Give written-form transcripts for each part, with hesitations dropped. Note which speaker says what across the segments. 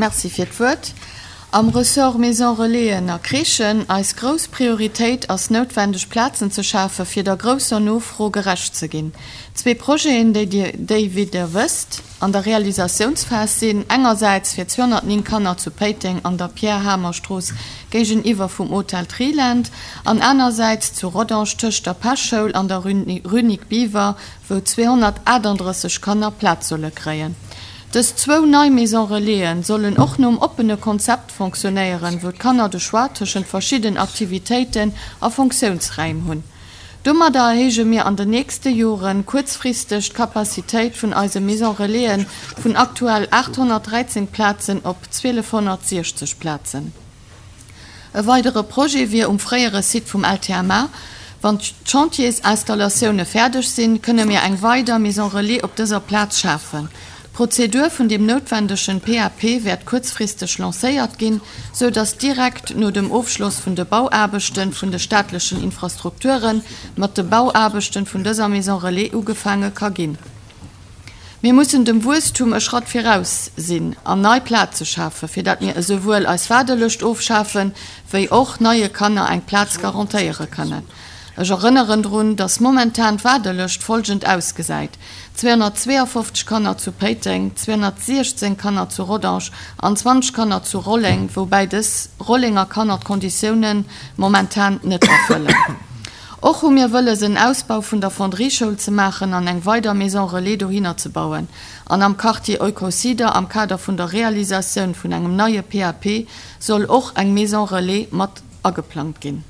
Speaker 1: Merci fir d'Wuert. Am Ressort Maison Relaisen a Crèchen, eis grouss Prioritéit ass noutwendeg Plazen ze schafe fir der grousser Nofro gerecht ze ginn. Zwee Projeten, déi Dir, déi wéi Der wësst, an der Realisatiounsphas sinn, engersäits fir 209 Kanner zu Péiteng an der Pierre Hamer Strooss géigeniwwer vum Hotel Triland an anersäits zu Rodange tëscht der Peschschoul an der Rue Nic Biver, wou 238 Kanner Plaz solle kréien. Dës zwou nei Maison Relaisen sollen och nom oppene Konzept fonctionnéieren, wou d'Kanner de Choix tëschent verschidden Aktivitéiten a Fonctiounsräim hunn. Domadder erhéije mir an den nächste Jore kuerzfristeg d'Capacitéit vun eise Maison Relaisen vun aktuell 813 Plazen op 1260 Plazen. E weidere Projet wier um fréiere Site vum LTMA. Wann d'Chantiersinstallatioune fäerdeg sinn, kënne mir eng weider Maison Relais op dëser Plaz schafen. D'Prozedur vun deem noutwendegen PAP wäert kuerzfristeg lancéiert ginn, sou datt direkt no dem Ofschloss vun de Bauaarbechten vun de staatlechen Infrastrukture mat de Bauaarbechten vun dëser Maison Relais ugefaange ka ginn. Mir mussen dem Wuesstum e Schratt viraus sinn an nei Plaze schafen, fir dat mir esouwuel eis Waardelëscht ofschafen, wéi och neie Kanner eng Plaz garantéiere kënnen. Ech erënneren drun, dass momentan d'Waardelëscht folgend ausgesäit, 252 Kanner zu Péiteng, 216 Kanner zu Rodange an 20 Kanner zu Rolleng, woubäi dës Rollenger Kanner d'Konditiounen momentan net erfëllen. Och hu mir wëlles en Ausbau vun der Fonderie-Schoul ze maachen an eng weider Maison Relais dohinner ze bauen. An am Quartier Eucosider am Kader vun der Realisatioun vun engem neie PAP soll och eng Maison Relais mat ageplangt ginn.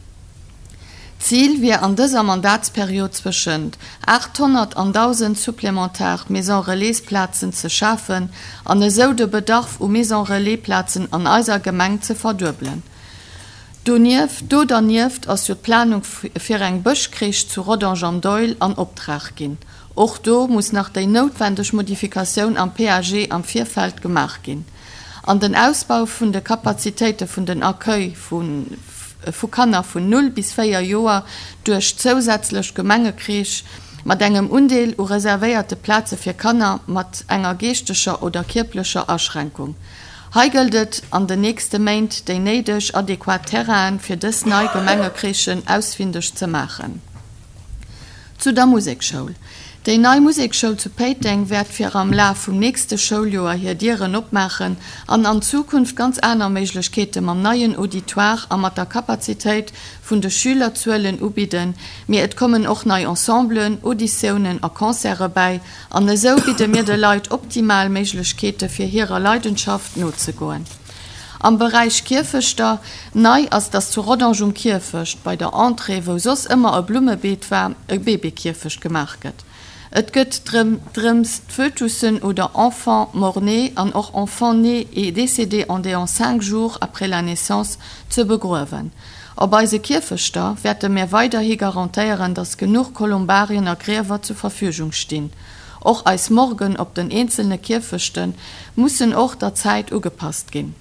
Speaker 1: D'Zil wier an dëser Mandatsperiod zwëschent 800 an 1.000 supplementar Maison Relais-Plazen ze schafen an esou de Bedarf u Maison Relais-Plazen an eiser Gemeng ze verduebelen. Donieft, do dernieft ass jo d'Planung fir eng Bëschcrèche zu Rodange am Doihl an Optrag ginn. Och do muss nach déi noutwendeg Modifikatioun am PAG am Virfeld gemaach ginn. An den Ausbau vun de Kapazitéite vun den Accueil vu Kanner vun 0 bis 4 Joer duerch zousätzlech Gemengecrèche mat engem Undeel u reservéierte Plaze fir Kanner mat enger geeschteger oder kierplecher Aschränkung. Hei gëllt et, an den nächste Méint déi néideg adequat Terrainen fir dës nei Gemengecrèchen ausfindeg ze maachen. Zu der Musekschoul. Déi nei Musekschoul zu Péiteng wäert fir am Laf vum nächste Schouljoer hir Dieren opmaachen an an Zukunft ganz aner Méiglechkeete mam neien Auditoire a mat der Kapazitéit vun de Schülerzuelen ubidden, mee et kommen och nei Ensemblen, Auditiounen a Concerte bäi An esou bidde mir de Leit optimal Méiglechkeete fir hirer Leidenschaft nozegoen. Am Beräich Kierfechter, nei ass, dass zu Rodange um Kierfecht, bei der Entrée, wou soss ëmmer e Blummebeet war, e Baby-Kierfecht gemaach gëtt. Et gëtt drëms d'Fötussen oder Enfants mort-nés an och Enfants nés et décédés endéans 5 jours après la naissance ze begruewen. Op eise Kierfechter wäerte mär weiderhi garantéieren, dass genuch Kolumbarien a Griewer zur Verfügung stinn. Och eis Morgen op den eenzelne Kierfechte mussen och der Zäit ugepasst ginn.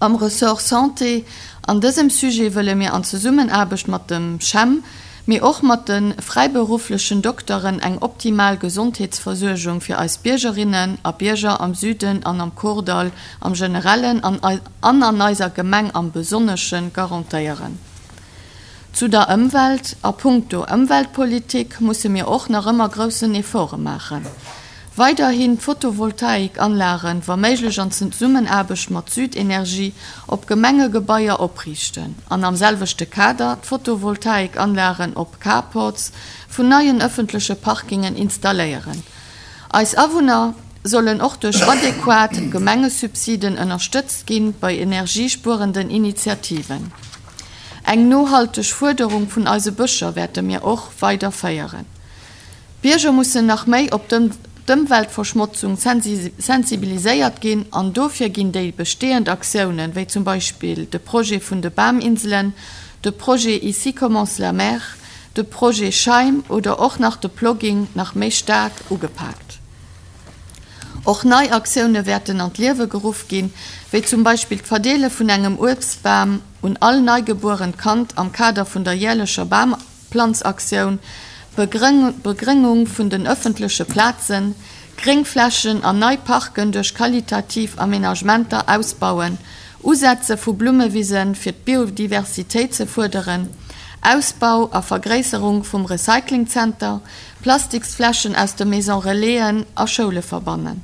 Speaker 1: Am Ressort Santé, an dësem Sujet wëlle mir an Zesummenaarbecht mat dem CHEM, mee och mat de fräiberufflechen Dokteren eng optimal Gesondheetsversuergung fir eis Biergerinnen a Bierger am Süden an am Kordall am Generellen an an an eiser Gemeng am Besonnesche garantéieren. Zu der Ëmwelt, A punkto Ëmweltpolitik musse mir och nach ëmmer groussen Efforte maachen. Weiderhin d'Photovoltaikanlagen, wa méiglech an Zesummenaarbecht mat Südenergie, op Gemengegebaier opriichten an am selwechte Kader d'Photovoltaikanlagen op Carports vun neien ëffentleche Parkingen installéieren. Eis Awunner sollen och duerch adequat Gemengesubsiden ënnerstëtzt ginn bei energiespuerenden Initiativen. Eng nohalteg Fuerderung vun eise Bëscher wäerte mir och weider féieren. D'Bierger mussen nach méi op d'Ëmweltverschmotzung sensibiliséiert ginn an dofir ginn déi bestehend Aktiounen, wéi zum Beispill de Projet vun de Baminselen, de Projet Ici commence la mer, de Projet Scheim oder och nach de Plogging nach méi staark ugepaakt. Och nei Aktioune wäerten an d'Liewe geruff ginn, wéi zum Beispill d'Verdeele vun engem Uebstbam un all neigebuerent Kand am Kader vun der jäerlecher Bamplanzaktioun, d'Begréngung vun den ëffentleche Plazen, Gréngflächen an nei Parken duerch qualitativ Aménagementer ausbauen, Usetze vu Blummewisen fir d'Biodiversitéit ze fuerderen, Ausbau a Vergréisserung vum Recyclingzenter, Plastiksfläschen aus de Maison Relaisen a Schoule verbannen.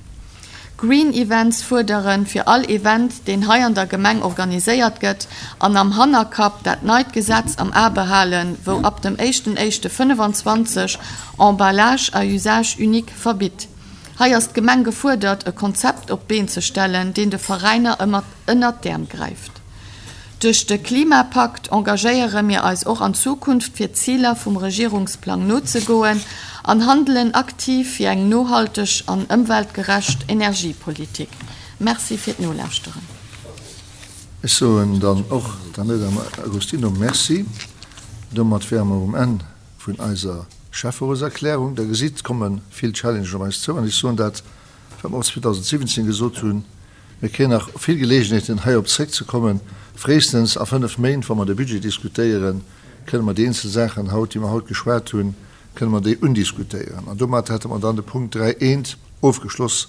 Speaker 1: Green Events fuerderen fir all Event deen hei an der Gemeng organiséiert gëtt an am Hannerkapp dat neit Gesetz am A behalen wou ab dem éischten éischte 25 Emballage à usage unique verbitt. Hei ass d'Gemeng gefuerdert e Konzept op d'Been ze stellen deen de Veräiner ënnert d'Äerm gräift. Duerch de Klimapakt engagéiere mir eis och an Zukunft fir d'Ziler vum Regierungsplang nozegoen an handelen aktiv fir eng nohalteg an ëmweltgerecht Energiepolitik. Merci fir d'Nolauschteren.
Speaker 2: Ech soen dann och der Madame Agostino Merci. Domat wäre mer um Enn vun eiser Schäfferotserklärung. Der gesitt, et komme vill Challengen op eis zou an ech soen dat, wat mer och 2017 gesot hunn, Mir kréien nach vill Geleegenheeten, heirop zréckzekommen. Fréistens a fënnf Méint, wa mer de Budget diskutéieren, kënne mer déi eenzel Saachen haut, déi mer haut geschwat hunn, kënne mer déi undiskutéieren. An domat hätte mer dann de Punkt 3 eent ofgeschloss.